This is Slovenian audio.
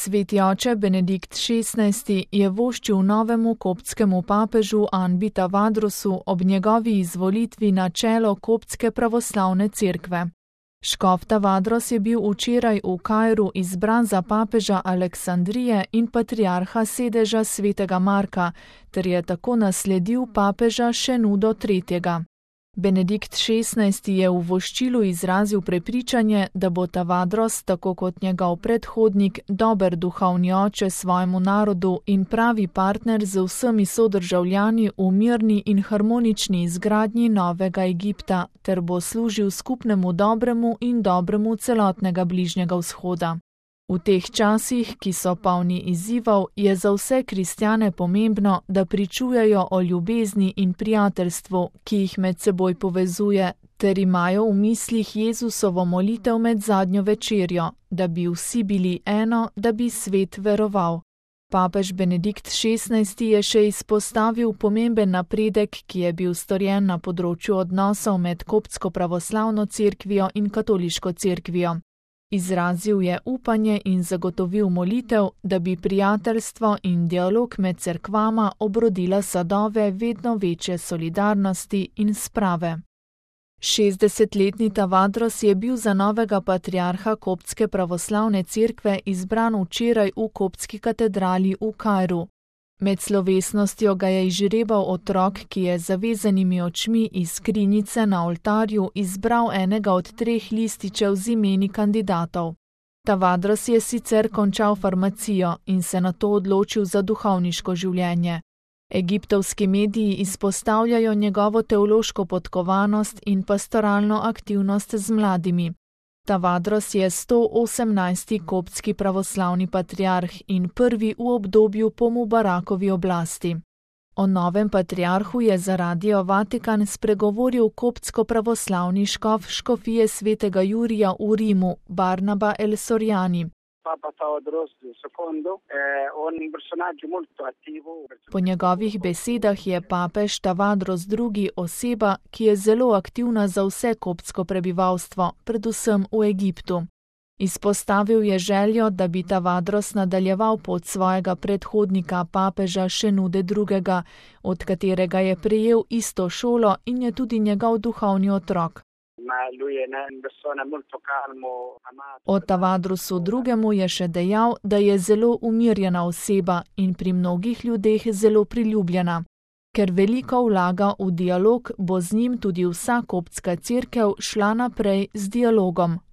Sveti oče Benedikt XVI je voščil novemu koptskemu papežu Anbi Tavadrosu ob njegovi izvolitvi na čelo koptske pravoslavne cerkve. Škof Tavadros je bil včeraj v Kairu izbran za papeža Aleksandrije in patriarha sedeža svetega Marka, ter je tako nasledil papeža Šenudo III. Benedikt XVI je v voščilu izrazil prepričanje, da bo Tavadros, tako kot njegov predhodnik, dober duhovni oče svojemu narodu in pravi partner z vsemi sodržavljani v mirni in harmonični izgradnji novega Egipta, ter bo služil skupnemu dobremu in dobremu celotnega Bližnjega vzhoda. V teh časih, ki so polni izzivov, je za vse kristjane pomembno, da pričujejo o ljubezni in prijateljstvu, ki jih med seboj povezuje, ter imajo v mislih Jezusovo molitev med zadnjo večerjo, da bi vsi bili eno, da bi svet veroval. Papež Benedikt XVI je še izpostavil pomemben napredek, ki je bil storjen na področju odnosov med koptsko pravoslavno cerkvijo in katoliško cerkvijo. Izrazil je upanje in zagotovil molitev, da bi prijateljstvo in dialog med cerkvama obrodila sadove vedno večje solidarnosti in sprave. 60-letni Tavadros je bil za novega patriarha koptske pravoslavne cerkve izbran včeraj v koptski katedrali v Kairu. Med slovesnostjo ga je izžrebal otrok, ki je z zavezanimi očmi iz skrinjice na oltarju izbral enega od 3 lističev z imeni kandidatov. Tavadros je sicer končal farmacijo in se nato odločil za duhovniško življenje. Egiptovski mediji izpostavljajo njegovo teološko podkovanost in pastoralno aktivnost z mladimi. Tavadros je 118. koptski pravoslavni patriarh in prvi v obdobju po Mubarakovi oblasti. O novem patriarhu je za Radio Vatikan spregovoril koptsko-pravoslavni škof škofije svetega Jurija v Rimu, Barnaba El Soriani. Po njegovih besedah je papež Tavadros II. Oseba, ki je zelo aktivna za vse koptsko prebivalstvo, predvsem v Egiptu. Izpostavil je željo, da bi Tavadros nadaljeval pot svojega predhodnika papeža Šenude II., od katerega je prejel isto šolo in je tudi njegov duhovni otrok. O Tavadrosu II. Je še dejal, da je zelo umirjena oseba in pri mnogih ljudeh zelo priljubljena. Ker veliko vlaga v dialog, bo z njim tudi vsa koptska cerkev šla naprej z dialogom,